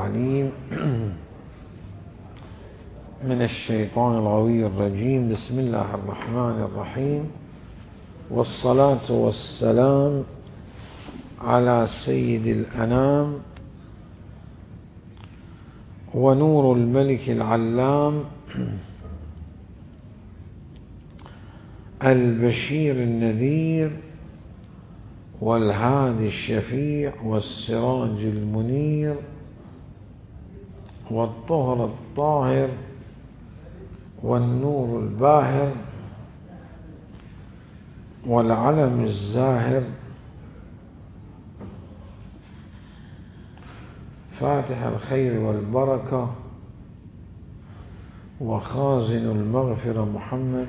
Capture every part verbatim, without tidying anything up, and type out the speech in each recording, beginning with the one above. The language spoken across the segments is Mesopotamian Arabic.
العليم من الشيطان الغوي الرجيم. بسم الله الرحمن الرحيم، والصلاة والسلام على سيد الأنام ونور الملك العلام البشير النذير والهادي الشفيع والسراج المنير والطهر الطاهر والنور الباهر والعلم الزاهر، فاتح الخير والبركة وخازن المغفرة محمد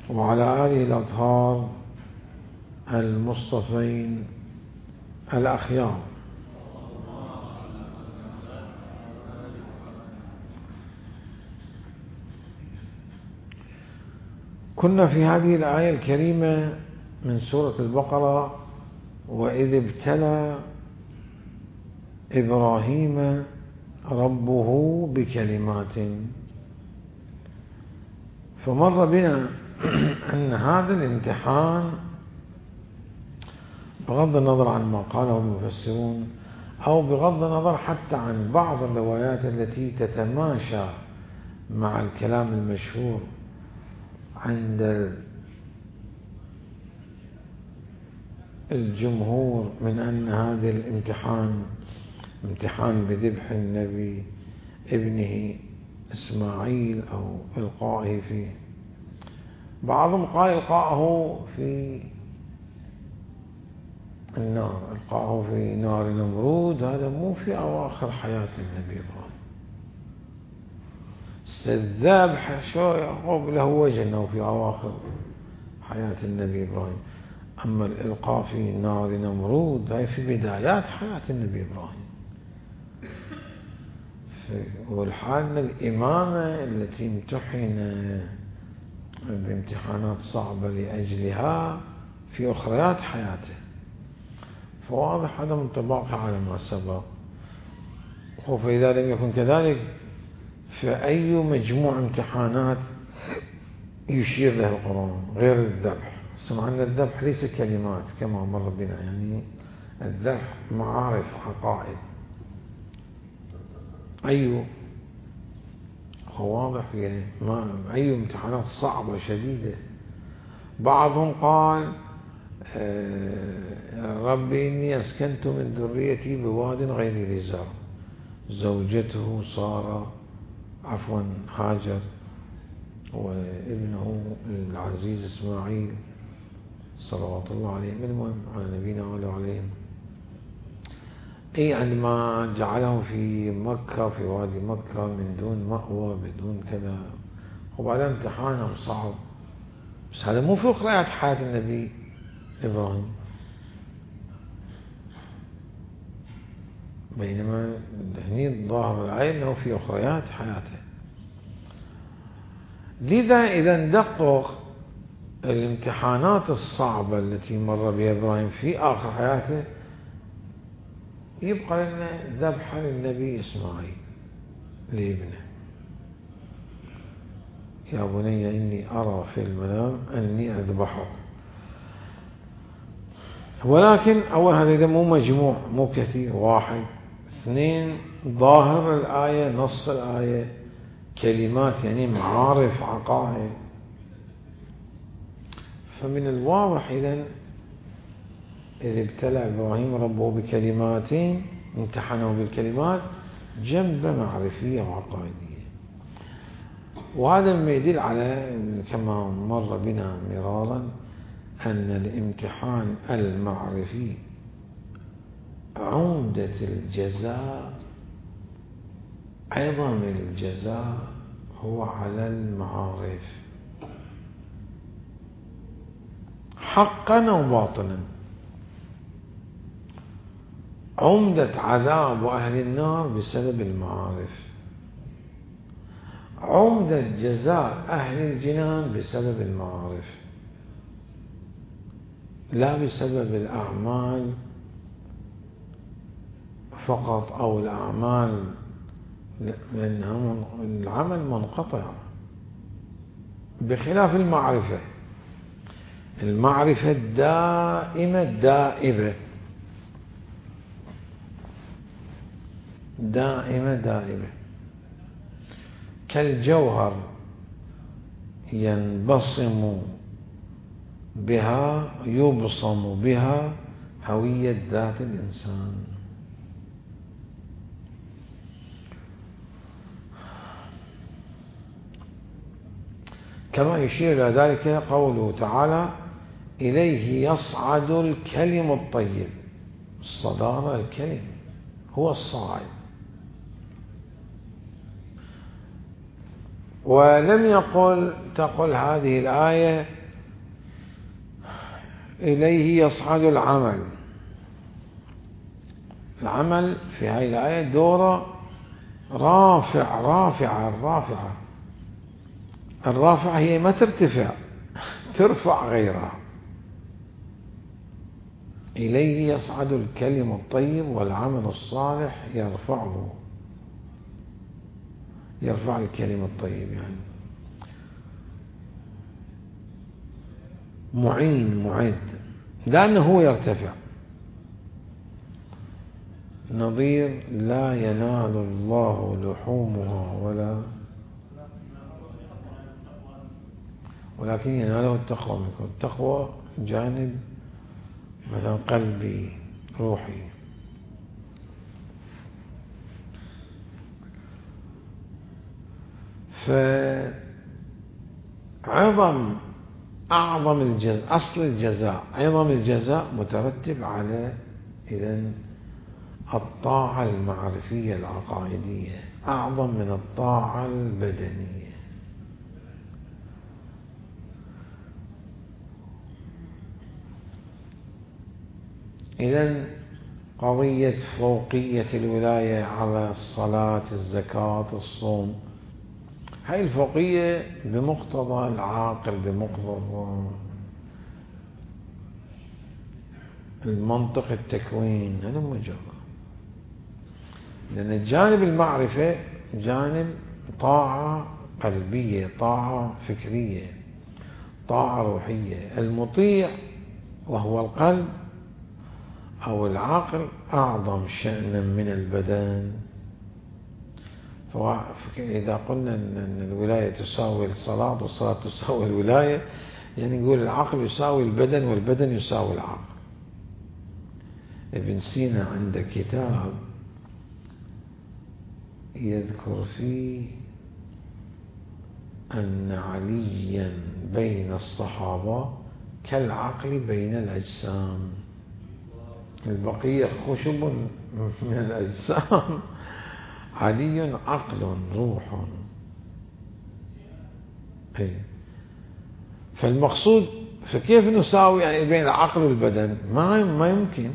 وعلى آله الأطهار المصطفين الأخيار. كنا في هذه الآية الكريمة من سورة البقرة: وإذ ابتلى إبراهيم ربه بكلمات. فمر بنا أن هذا الامتحان بغض النظر عن ما قاله المفسرون أو بغض النظر حتى عن بعض الروايات التي تتماشى مع الكلام المشهور عند الجمهور من أن هذا الامتحان امتحان بذبح النبي ابنه إسماعيل أو إلقائه فيه. بعضهم قال إلقائه في النار، إلقائه في نار نمرود، هذا مو في أواخر حياة النبي إبراهيم. الذبح شو يعقوب له وجه أنه في أواخر حياة النبي إبراهيم، أما الإلقاء في نار نمرود هي في بدايات حياة النبي إبراهيم. والحال الإمامة التي امتحن بامتحانات صعبة لأجلها في أخريات حياته، فواضح عدم انطباقه على ما سبق. فإذا لم يكن كذلك فأي مجموع امتحانات يشير له القرآن غير الذبح؟ سمعنا الذبح ليس كلمات كما مر بنا، يعني الذبح معارف حقائق. أي واضح يعني ما أي امتحانات صعبة شديدة. بعضهم قال ربي إني أسكنت من ذريتي بواد غير ذي زرع، زوجته سارة عفوا هاجر وابنه العزيز إسماعيل صلوات الله عليهم، المهم على نبينا وعليهم. أي عندما جعلهم في مكة في وادي مكة من دون مأوى بدون كذا، وبعدين امتحانهم صعب. بس هذا مو في أخريات حياة النبي إبراهيم، بينما هني ظاهر الآية أنه في أخريات حياته. لذا إذا ندقق الامتحانات الصعبة التي مر بها إبراهيم في آخر حياته، يبقى لنا ذبح للنبي إسماعيل لابنه: يا بني إني أرى في المنام أني أذبحك. ولكن أول هذا إذا مو مجموع مو كثير، واحد اثنين ظاهر الآية نص الآية كلمات يعني معارف عقائد. فمن الواضح إذن إذ ابتلى إبراهيم ربه بكلمات، امتحنه بالكلمات جنب معرفية وعقائدية. وهذا ما يدل على كما مر بنا مرارا أن الامتحان المعرفي عمدة الجزاء، عظم الجزاء هو على المعارف حقا أو باطنا. عمدة عذاب أهل النار بسبب المعارف، عمدة جزاء أهل الجنان بسبب المعارف، لا بسبب الأعمال فقط أو الأعمال، لأن العمل منقطع، بخلاف المعرفة. المعرفة دائمة دائبة، دائمة دائبة كالجوهر ينبصم بها يبصم بها هوية ذات الإنسان. كما يشير إلى ذلك قوله تعالى: إليه يصعد الكلم الطيب. الصدارة الكلم هو الصاعد. ولم يقل تقل هذه الآية إليه يصعد العمل. العمل في هذه الآية دوره رافع رافعة الرافعة الرافعة هي ما ترتفع، ترفع غيرها. إليه يصعد الكلم الطيب والعمل الصالح يرفعه، يرفع الكلم الطيب، يعني معين معد، لأنه هو يرتفع. نظير لا ينال الله لحومها ولا ولكن يناله التقوى منكم. التقوى جانب مثلا قلبي روحي. فعظم أعظم الجزاء، أصل الجزاء، عظم الجزاء مترتب على إذن الطاعة المعرفية العقائدية أعظم من الطاعة البدنية. إذن قضية فوقية الولاية على الصلاة، الزكاة، الصوم، هاي الفوقية بمقتضى العاقل، بمقتضى المنطق التكوين، هذا مجرد. لأن الجانب المعرفة جانب طاعة قلبية، طاعة فكرية، طاعة روحية. المطيع وهو القلب أو العقل أعظم شأنا من البدن. فإذا قلنا أن الولاية تساوي الصلاة والصلاة تساوي الولاية، يعني نقول العقل يساوي البدن والبدن يساوي العقل. ابن سينا عنده كتاب يذكر فيه أن عليا بين الصحابة كالعقل بين الأجسام، البقية خشب من الأجسام، علي عقل روح. فالمقصود فكيف نساوي يعني بين العقل والبدن؟ ما ما يمكن.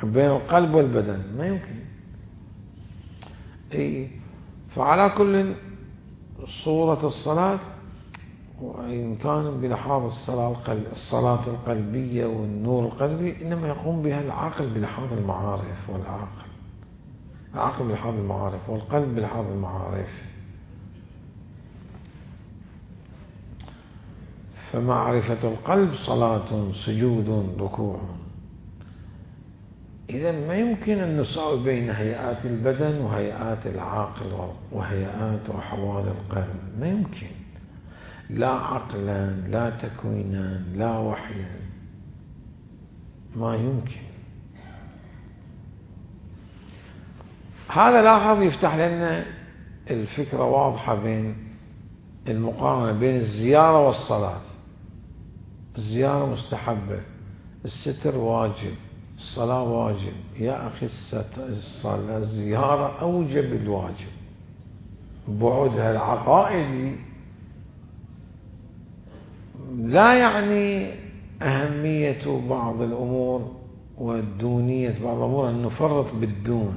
بين القلب والبدن ما يمكن. اي فعلى كل صورة الصلاة، وإن كان بلحاظ الصلاة الصلاة القلبية والنور القلبي، إنما يقوم بها العقل بلحاظ المعارف، والعقل العقل بلحاظ المعارف والقلب بلحاظ المعارف. فمعرفة القلب صلاة، سجود، ركوع. إذن ما يمكن أن نساوي بين هيئات البدن وهيئات العقل وهيئات وأحوال القلب، ما يمكن. لا عقلا، لا تكوينا، لا وحيا، ما يمكن. هذا لاحظ يفتح لنا الفكرة واضحة بين المقارنة بين الزيارة والصلاة. الزيارة مستحبة، الستر واجب، الصلاة واجب. يا أخي الصلاة الزيارة أوجب الواجب، بعدها العقائدي لا يعني أهمية بعض الأمور والدونية بعض الأمور أن نفرط بالدون،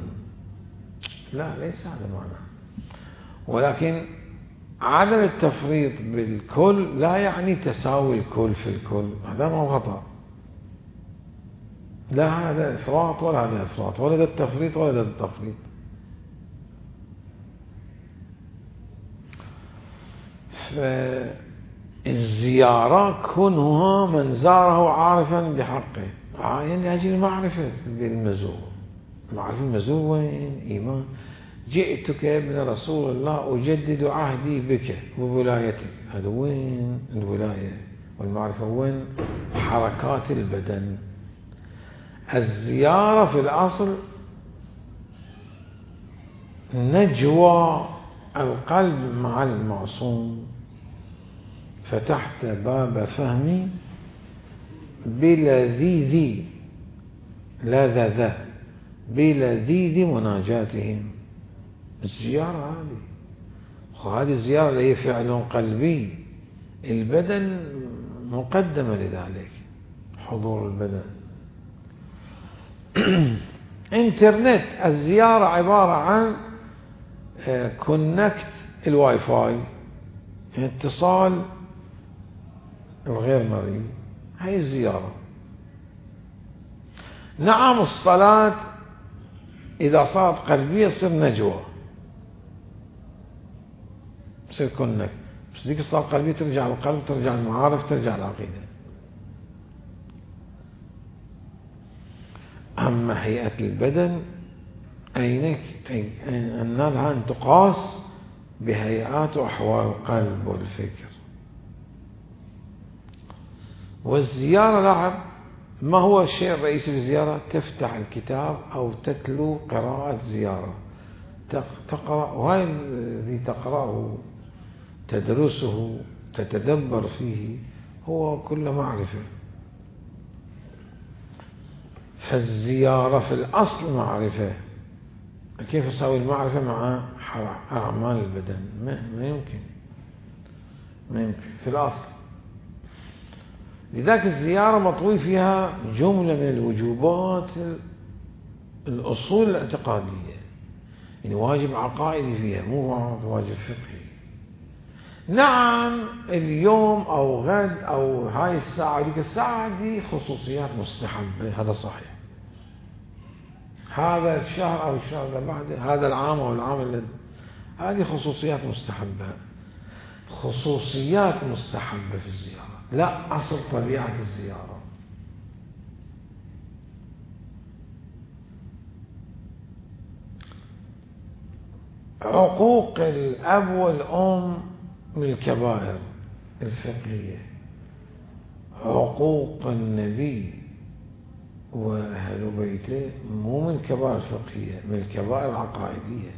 لا، ليس هذا معنى. ولكن عدم التفريط بالكل لا يعني تساوي الكل في الكل، هذا ما خطأ. لا هذا إفراط ولا هذا إفراط، ولا ده التفريط ولا ده التفريط. فالزيارة كونها من زاره عارفا بحقه، يعني أجل معرفة بالمزور، معرفة المزور وين إيمان. جئتك يا ابن رسول الله أجدد عهدي بك وولايتك، هذا وين الولاية والمعرفة؟ وين حركات البدن. الزيارة في الأصل نجوى القلب مع المعصوم. فتحت باب فهمي بلذيذ لذذ بلذيذ مناجاتهم. الزيارة هذه، وهذه الزيارة اللي هي فعل قلبي، البدن مقدمة لذلك، حضور البدن. انترنت، الزيارة عبارة عن كونكت الواي فاي، اتصال الغير مرئي، هي الزيارة. نعم الصلاة إذا صارت قلبية تصير نجوى، تصير كونكت، بس ذيك الصلاة القلبية ترجع القلب، ترجع المعارف، ترجع العقيدة. أما هيئة البدن أينك أن لها أن تقاس بهيئات وأحوال القلب والفكر. والزيارة لعب، ما هو الشيء الرئيسي في الزيارة؟ تفتح الكتاب أو تتلو قراءة زيارة، تقرأ، وهي الذي تقرأه تدرسه تتدبر فيه هو كل معرفة. فالزيارة في الأصل معرفة. كيف أسوي المعرفة مع أعمال البدن؟ ما يمكن، ما يمكن في الأصل. لذلك الزيارة مطوي فيها جملة من الوجوبات، الأصول الاعتقادية، يعني واجب عقائدي فيها، مو واجب فقهي. نعم اليوم أو غد أو هاي الساعة ديك الساعة دي خصوصيات مستحبة، هذا صحيح. هذا الشهر أو الشهر اللي بعده، هذا العام أو العام الذي، هذه خصوصيات مستحبة، خصوصيات مستحبة في الزيارة، لا أصل طبيعة الزيارة. عقوق الأب والأم من الكبائر الفقهية، عقوق النبي وأهل بيته مو من الكبائر الفقهية، من الكبائر العقائدية.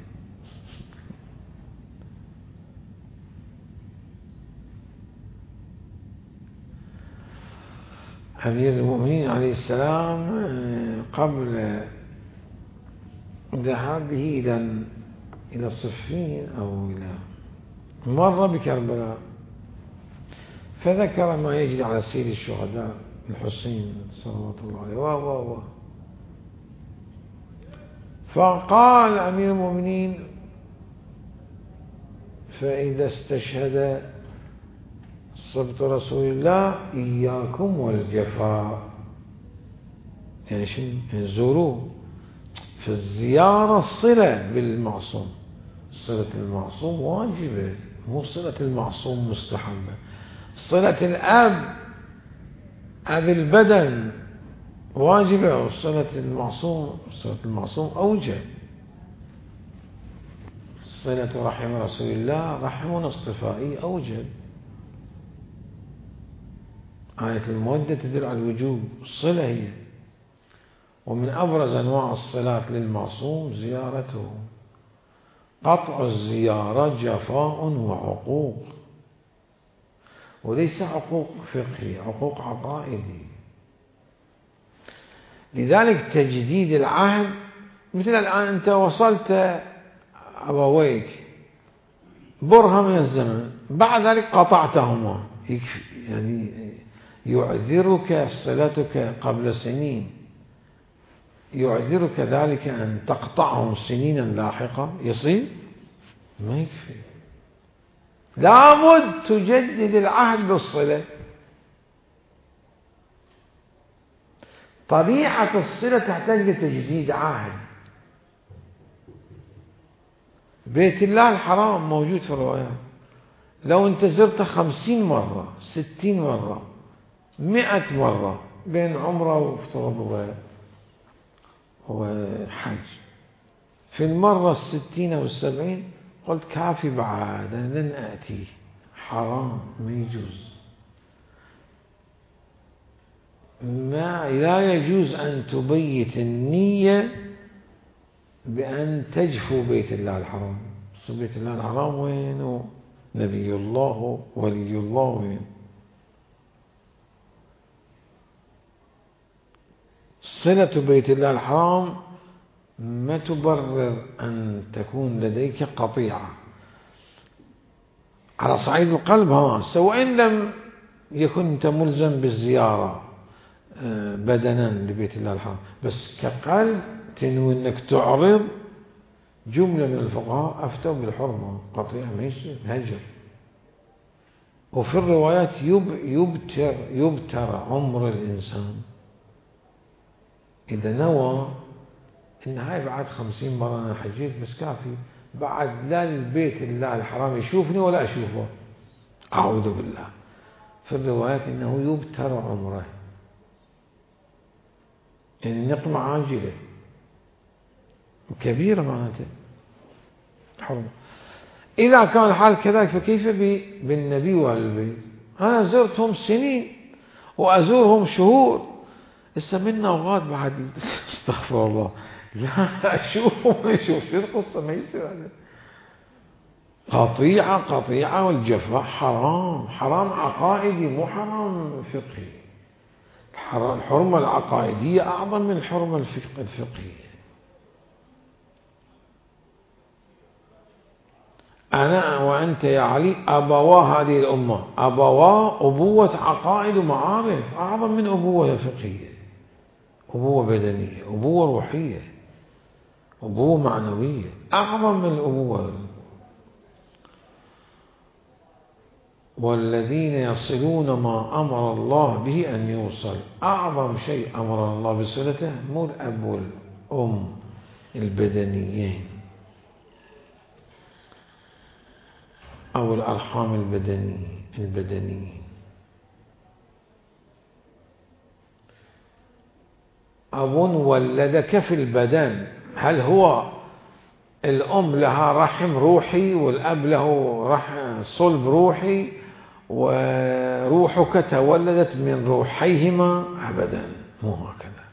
أمير المؤمنين عليه السلام قبل ذهابه إلى إلى الصفين أو إلى مر بكربلاء، فذكر ما يجري على سير الشهداء الحسين صلوات الله عليه و و فقال أمير المؤمنين: فإذا استشهد صبت رسول الله إياكم والجفاء. يعني شنو؟ يعني زوروه. فالزيارة صلة بالمعصوم، صلة المعصوم واجبة، مو صلة المعصوم مستحبة. صلة الأب أب البدن واجبة، وصلة المعصوم صلة المعصوم أوجب. صلة رحم رسول الله رحمنا اصطفائي أوجب. آية المودة تدل على الوجوب، الصلة هي. ومن أبرز أنواع الصلاة للمعصوم زيارته. قطع الزيارة جفاء وعقوق، وليس عقوق فقهي، عقوق عقائدي. لذلك تجديد العهد، مثل الآن أنت وصلت أبويك برهة من الزمن، بعد ذلك قطعتهما، يعني يعذرك صلتك قبل سنين، يعذرك ذلك أن تقطعهم سنينا لاحقة، يصير ما يكفي، لابد تجدد العهد بالصلة. طبيعة الصلة تحتاج لتجديد عهد. بيت الله الحرام موجود في الروايات، لو انت زرته خمسين مرة ستين مرة مئة مرة بين عمره وافتراض وحج، في المرة الستين أو السبعين قلت كافي بعد لن أتي، حرام ما يجوز. ما لا يجوز أن تبيت النية بأن تجفو بيت الله الحرام. بيت الله الحرام وين؟ نبي الله ولي الله وين؟ صلة بيت الله الحرام ما تبرر أن تكون لديك قطيعة على صعيد القلب، ها سواء لم يكن أنت ملزم بالزيارة بدنا لبيت الله الحرام، بس كقلب تنوي أنك تعرض. جملة من الفقهاء أفتوا بالحرمة، قطيعة ما يصير، هجر. وفي الروايات يبتر يبتر عمر الإنسان إذا نوى إن هاي بعد خمسين مرة أنا حجيت بس كافي، بعد لا البيت الله الحرام يشوفني ولا أشوفه، أعوذ بالله. في الروايات إنه يبتر عمره، يعني نقمة عاجلة كبيرة معناته حرمة. إذا كان الحال كذلك فكيف بالنبي وأهل البيت؟ أنا زرتهم سنين وأزورهم شهور، لسه منا أوقات بعد استغفر الله لا أشوفهم ما أشوف. شو القصة؟ ما يصير هذا. قطيعة قطيعة والجفاء حرام، حرام عقائدي مو حرام فقهي. الحرمة العقائدية أعظم من الحرمة الفقهية. أنا وأنت يا علي أبوا هذه الأمة، أبوا أبوة عقائد ومعارف أعظم من أبوة فقهية، أبوة بدنية، أبوة روحية، أبوة معنوية، أعظم من الأبوة. والذين يصلون ما أمر الله به أن يوصل، أعظم شيء أمر الله بصلته مو الأب والأم البدنيين أو الأرحام البدنية البدنيين. أب ولدك في البدن، هل هو الأم لها رحم روحي والأب له رحم صلب روحي وروحك تولدت من روحيهما؟ أبدا مو هكذا.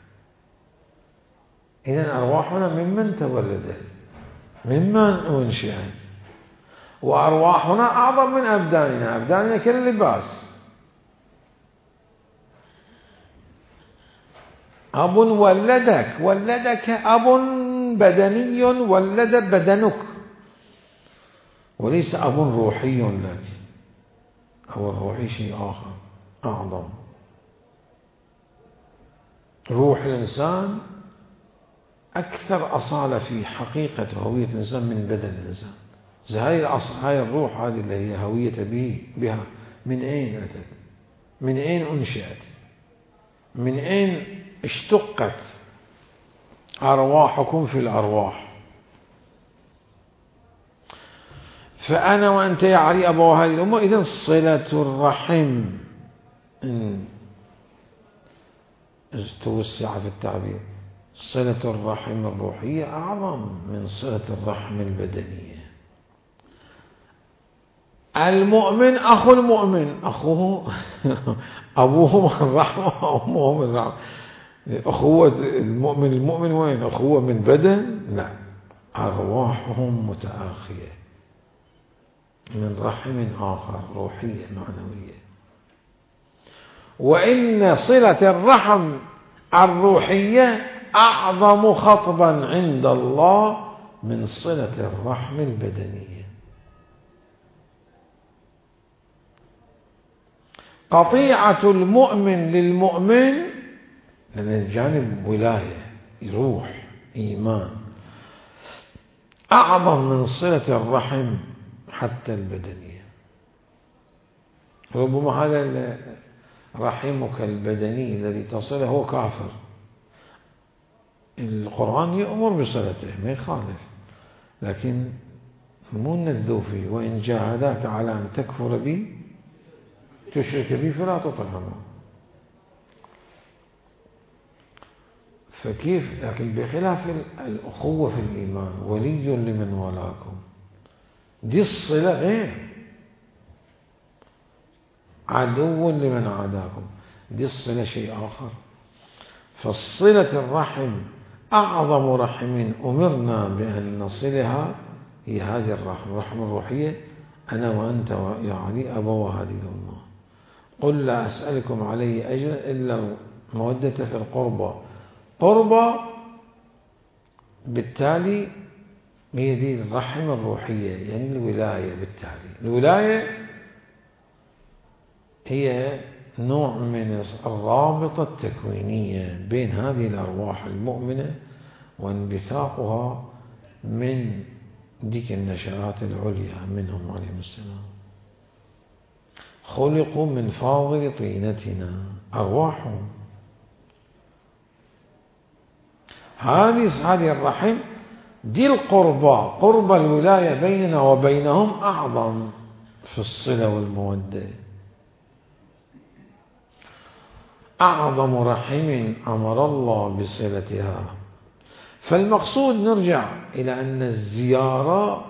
إذن أرواحنا ممن تولدت، ممن أنشئت، وأرواحنا أعظم من أبداننا. أبداننا كاللباس. أب ولدك، ولدك أب بدني ولد بدنك، وليس أب روحي لك. أو الروحي شيء آخر أعظم. روح الإنسان أكثر أصالة في حقيقة هوية الإنسان من بدن الإنسان. هاي هاي الروح هذه اللي هي هوية به بها من أين أتت؟ من أين أنشأت؟ من أين اشتقت؟ أرواحكم في الأرواح. فأنا وأنت يا علي أبو هذه الأمة. إذن صلة الرحم إن توسع في التعبير، صلة الرحم الروحية أعظم من صلة الرحم البدنية. المؤمن أخو المؤمن، أخوه أبوه من رحمة وأمه من رحمة. أخوة المؤمن المؤمن وين؟ أخوة من بدن؟ لا، أرواحهم متآخية من رحم آخر روحية معنوية. وإن صلة الرحم الروحية أعظم خطبا عند الله من صلة الرحم البدنية. قطيعة المؤمن للمؤمن، لأن الجانب ولاية روح إيمان، أعظم من صلة الرحم حتى البدنية. ربما هذا رحمك البدني الذي تصله هو كافر القرآن يأمر بصلته ما يخالف، لكن مو نذو فيه. وإن جاهداك على أن تكفر بي تشرك بي فلا تطعهما. فكيف؟ لكن بخلاف الأخوة في الإيمان، ولي لمن ولاكم، دي الصلة غير، عدو لمن عاداكم، دي الصلة شيء آخر. فالصلة الرحم أعظم رحم أمرنا بأن نصلها هي هذه الرحم، الرحم الروحية. أنا وأنت يا علي أبوا هذه الأمة. قل لا أسألكم عليه أجرا إلا المودة في القربى. قربى بالتالي هي دي الرحم الروحية، يعني الولاية. بالتالي الولاية هي نوع من الرابطة التكوينية بين هذه الأرواح المؤمنة وانبثاقها من ديك النشآت العليا منهم عليهم السلام. خلقوا من فاضل طينتنا، أرواحهم. هذه هذه الرحم دي القربى، قرب الولاية بيننا وبينهم أعظم في الصلة والمودة. أعظم رحم أمر الله بصلتها. فالمقصود نرجع إلى أن الزيارة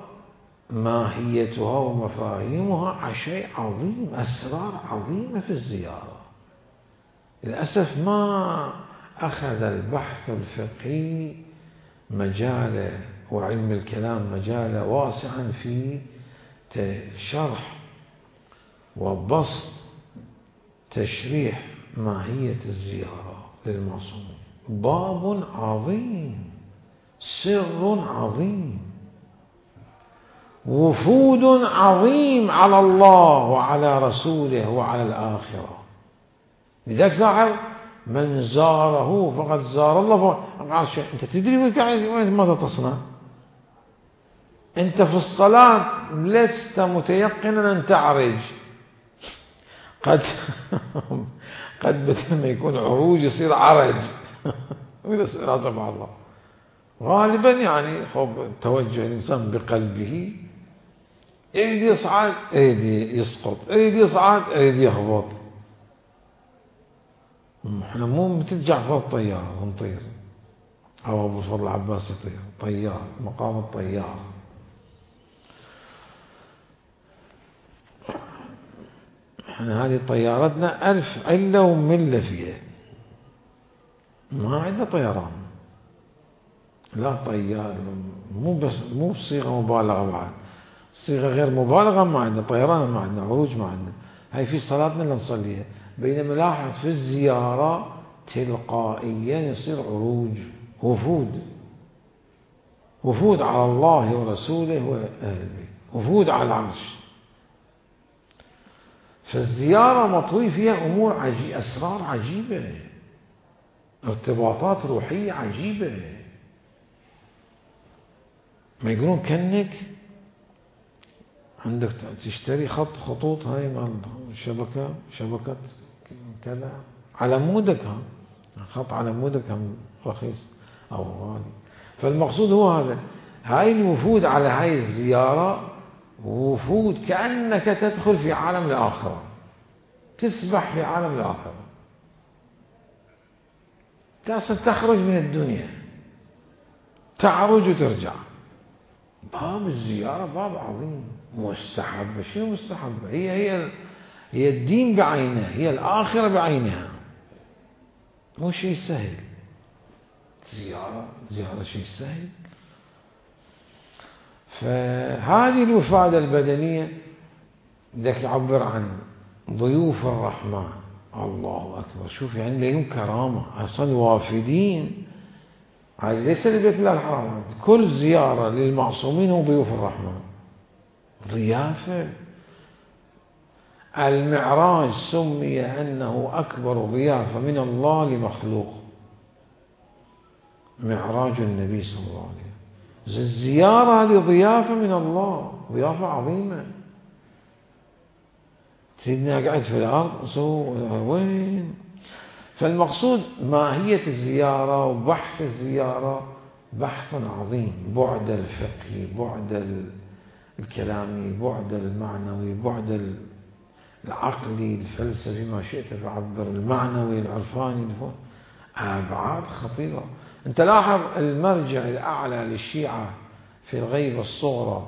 ماهيتها ومفاهيمها شيء عظيم، أسرار عظيمة في الزيارة. للأسف ما أخذ البحث الفقهي مجاله وعلم الكلام مجاله واسعا في شرح وبسط تشريح ماهية الزيارة للمعصوم. باب عظيم، سر عظيم، وفود عظيم على الله وعلى رسوله وعلى الآخرة. لذلك لاحظ من زاره فقد زار الله. فقال أنت تدري ماذا تصنع؟ أنت في الصلاة لست متيقنا أن تعرج، قد قد بدل ما يكون عروج يصير عرج ويصير مع الله. غالبا يعني خب توجه الإنسان بقلبه، يريد يصعد يريد يسقط، يريد يصعد يريد يهبط. احنا مو مثل جعفر الطيار ونطير، أو أبو فضل العباس يطير طيار مقام الطيار. احنا هذه طيارتنا ألف علة وملة فيها، ما عندنا طيران. لا طيار مو بس مو بصيغة مبالغة، بعد صيغة غير مبالغة ما عندنا طيران، ما عندنا عروج، ما عندنا. هاي في صلاتنا اللي نصليها. بينما لاحظ في الزيارة تلقائيا يصير عروج، وفود، وفود على الله ورسوله وأهل البيت، وفود على العرش. فالزيارة مطوي فيها أمور عجيبة، أسرار عجيبة، ارتباطات روحية عجيبة. ما يقولون كأنك عندك تشتري خط خطوط هاي مال شبكة شبكة كذا على مودك، ها خط على مودك هم رخيص أو غالي. فالمقصود هو هذا. هاي الوفود على هاي الزيارة وفود كأنك تدخل في عالم الآخرة، تسبح في عالم الآخرة، تخرج من الدنيا، تعرج وترجع. باب الزيارة باب عظيم، مستحب. شنو مستحب؟ هي هي هي الدين بعينه، هي الآخرة بعينها، مو شيء سهل. زيارة زيارة شيء سهل. فهذه الوفادة البدنية بدك يعبر عن ضيوف الرحمن. الله أكبر، شوف يعني لهم كرامة أصلا وافدين. هذه ليس لبيت الله الحرام، كل زيارة للمعصومين هم ضيوف الرحمن، ضيافة. المعراج سمي أنه أكبر ضيافة من الله لمخلوق، معراج النبي صلى الله عليه وسلم. الزيارة هذه ضيافة من الله، ضيافة عظيمة. سيدنا قاعد في الأرض وين فالمقصود ماهية الزيارة وبحث الزيارة بحث عظيم، بعد الفقهي، بعد الكلامي، بعد المعنوي، بعد العقلي، الفلسفي، ما شئت تعبر، المعنوي، العرفاني، أبعاد خطيرة. أنت لاحظ المرجع الأعلى للشيعة في الغيبة الصغرى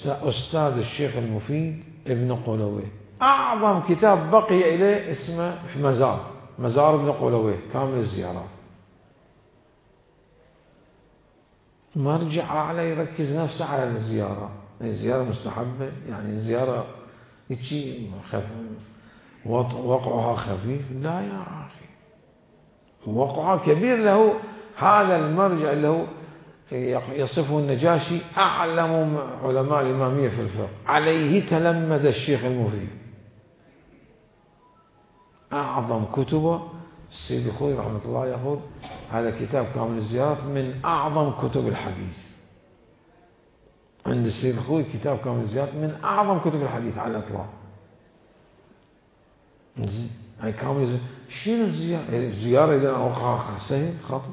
أستاذ الشيخ المفيد ابن قولويه، أعظم كتاب بقي إليه اسمه في مزار مزار ابن قولويه كامل الزيارات. مرجع أعلى يركز نفسه على الزيارة، الزيارة مستحبة، يعني الزيارة يجي وقعها خفيف، لا يا أخي وقعها كبير. له هذا المرجع اللي هو يصفه النجاشي أعلم علماء الإمامية في الفقه، عليه تلمذ الشيخ المفيد. أعظم كتبه السيد الخوئي رحمة الله يقول هذا كتاب كامل الزيارات من أعظم كتب الحديث. عند السيد الخوئي كتاب كامل الزيارات من أعظم كتب الحديث على الإطلاق. هاي كامل شنو الزيارة؟ الزيارة إذا وقعها سهل خاطئ،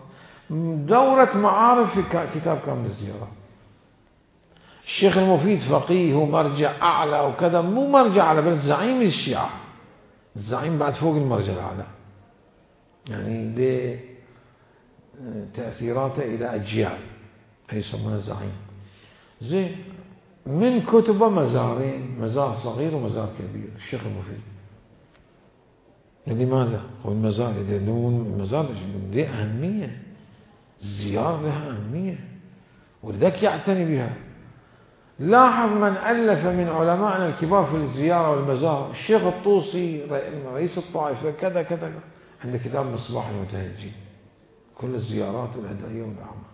دورة معارف في كتاب كامل الزيارات. الشيخ المفيد فقيه ومرجع أعلى وكذا، مو مرجع أعلى بل زعيم الشيعة، الزعيم بعد فوق المرجع الأعلى، يعني بتأثيراته إلى أجيال يسمونه زعيم. زين من كتبه مزارين، مزار صغير ومزار كبير الشيخ المفيد. لماذا؟ هو المزار إذا المزار ذي أهمية، الزيارة لها أهمية ولذلك يعتني بها. لاحظ من ألف من علمائنا الكبار في الزيارة والمزار، الشيخ الطوسي رئيس الطائفة كذا كذا، عنده كتاب مصباح المتهجين كل الزيارات الهدائية والأعمال.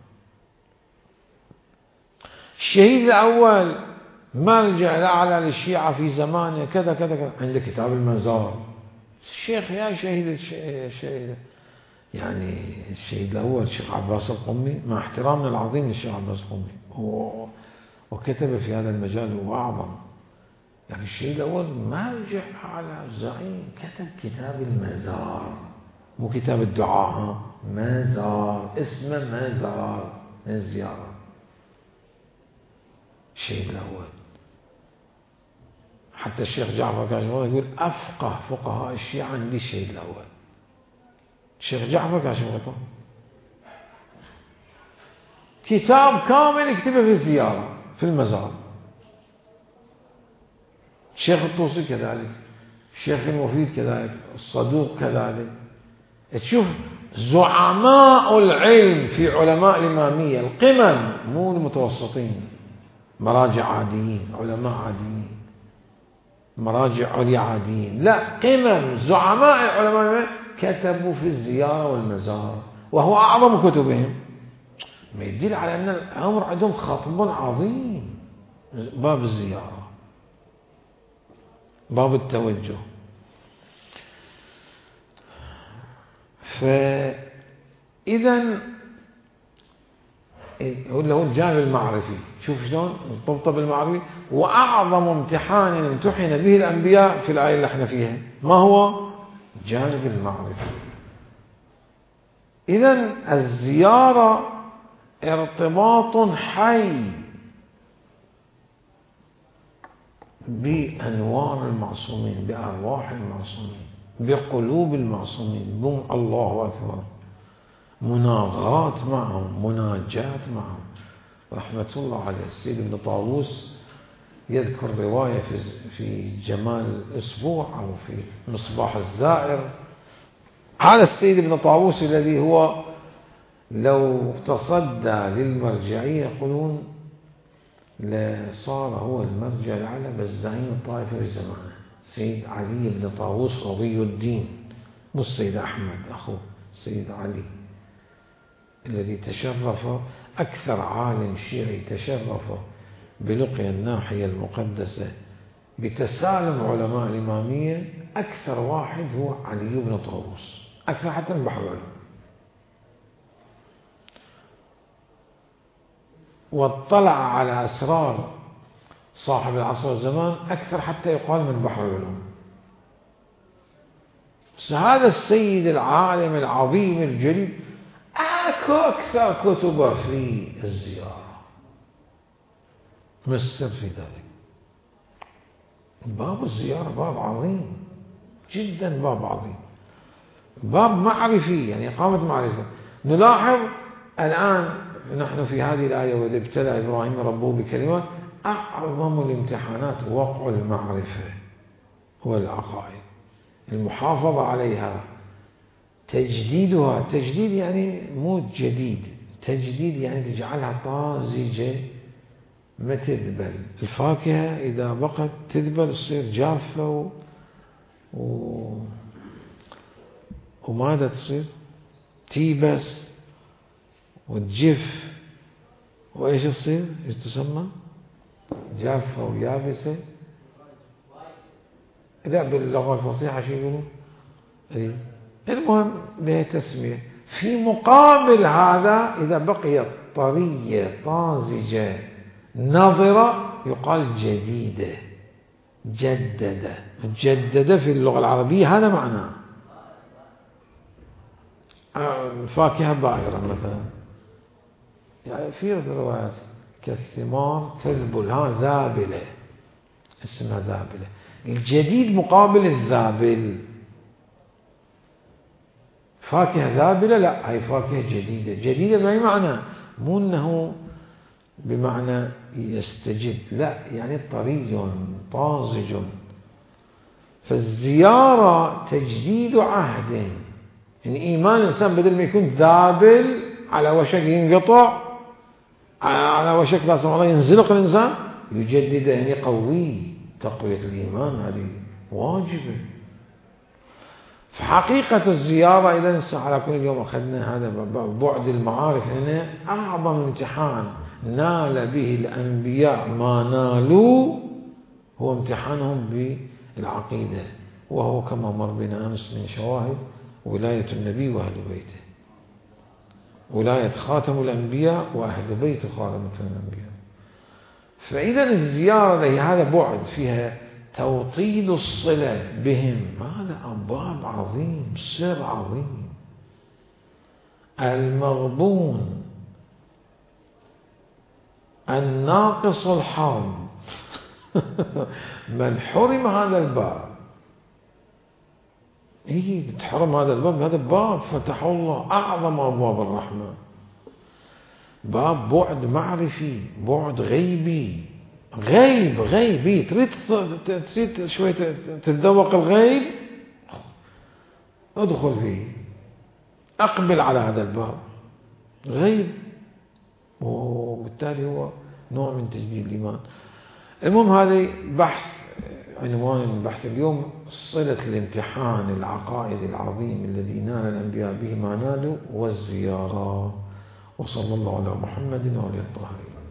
الشهيد الأول مرجع الأعلى للشيعة في زمانه كذا كذا كذا، عنده كتاب المزار. الشيخ يا شهيد الشهيد يعني الشهيد الأول الشيخ عباس القمي، مع احترامنا العظيم للشيخ عباس القمي، وكتب في هذا المجال هو أعظم. يعني الشهيد الأول مرجع على زعيم، كتب كتاب المزار، مو كتاب الدعاء، مزار اسمه مزار من الزيارة. الشهيد الأول حتى الشيخ جعفر كاشف يقول أفقه فقهاء الشيعة عندي الشهيد الأول. الشيخ جعفر كاشف غطاء كتاب كامل يكتبه في الزيارة في المزار. الشيخ الطوسي كذلك، الشيخ المفيد كذلك، الصدوق كذلك. تشوف زعماء العلم في علماء الإمامية القمم، مو المتوسطين، مراجع عاديين، علماء عاديين، مراجع عليا عاديين، لا قمم زعماء العلماء كتبوا في الزيارة والمزار، وهو أعظم كتبهم. ما يدل على أن الأمر عندهم خطب عظيم، باب الزيارة، باب التوجه. فإذا هو له الجانب المعرفي، شوف شلون مرتبطه بالمعرفي. وأعظم امتحان امتحن به الأنبياء في الآية اللي احنا فيها ما هو؟ الجانب المعرفي. إذا الزيارة ارتباط حي بأنوار المعصومين، بأرواح المعصومين، بقلوب المعصومين، بم الله أكبر، مناغات معهم، مناجات معهم. رحمة الله عليه السيد ابن طاووس يذكر رواية في في جمال الأسبوع أو في مصباح الزائر. هذا السيد ابن طاووس الذي هو لو تصدى للمرجعية يقولون لصار هو المرجع الأعلى بس زعيم الطائفة في زمانه، سيد علي بن طاووس رضي الدين، مو السيد أحمد أخوه، السيد علي الذي تشرف أكثر عالم شيعي تشرف بلقيا الناحية المقدسة بتسالم علماء الإمامية، أكثر واحد هو علي بن طاووس، أكثر حتى من بحر العلوم. واطلع على أسرار صاحب العصر والزمان أكثر حتى يقال من بحر العلوم. بس هذا السيد العالم العظيم الجليل اكو اكثر كتبه في الزيارة. ما السر في ذلك؟ باب الزيارة باب عظيم جدا، باب عظيم، باب معرفي، يعني إقامة معرفة. نلاحظ الآن نحن في هذه الآية وإذ ابتلى إبراهيم ربه بكلمات، أعظم الامتحانات وقع المعرفة والعقائد، المحافظة عليها، تجديدها. تجديد يعني مو جديد، تجديد يعني تجعلها طازجة ما تذبل. الفاكهة إذا بقت تذبل تصير جافة و... و... وماذا تصير؟ تيبس وتجف، وإيش تصير؟ إيش تسمى؟ جافة ويابسة. لا باللغة الفصيحة شو يقولون؟ إيه؟ المهم لها تسمية. في مقابل هذا إذا بقيت طرية طازجة نظرة يقال جديدة، جددة. جددة في اللغة العربية هذا معناه. الفاكهة بائرة مثلا، يعني في روايات كالثمار تذبل، ها ذابلة، اسمها ذابلة. الجديد مقابل الذابل. فاكهة ذابلة لا، هي فاكهة جديدة. جديدة بأي معنى؟ مو أنه بمعنى يستجد، لا، يعني طري طازج. فالزيارة تجديد عهد، يعني إيمان الإنسان بدل ما يكون ذابل على وشك ينقطع، على وشك لا سمح الله ينزلق الإنسان، يجدد، يعني قوي. تقوية الإيمان هذه واجبة. فحقيقة الزيارة إذا نسأل على كل يوم أخذنا هذا بعد المعارف، هنا أعظم امتحان نال به الأنبياء ما نالوا هو امتحانهم بالعقيدة، وهو كما مر بنا أمس من شواهد ولاية النبي وأهل بيته، ولاية خاتم الأنبياء وأهل بيت خاتم الأنبياء. فإذا الزيارة هذا بعد فيها توطيد الصلة بهم، هذا أبواب عظيم، سر عظيم. المغبون الناقص الحظ من حرم هذا الباب، إيه تحرم هذا الباب؟ هذا باب فتحه الله، أعظم أبواب الرحمة، باب بعد معرفي، بعد غيبي، غيب غيبي. تريد تريد شوي تتذوق الغيب، ادخل فيه، أقبل على هذا الباب، غيب، وبالتالي هو نوع من تجديد الإيمان. المهم هذا بحث، عنوان البحث اليوم صلة الامتحان العقائد العظيم الذي نال الأنبياء به ما نالوا والزيارة. وصلى الله على محمد وعلى آله الطاهرين.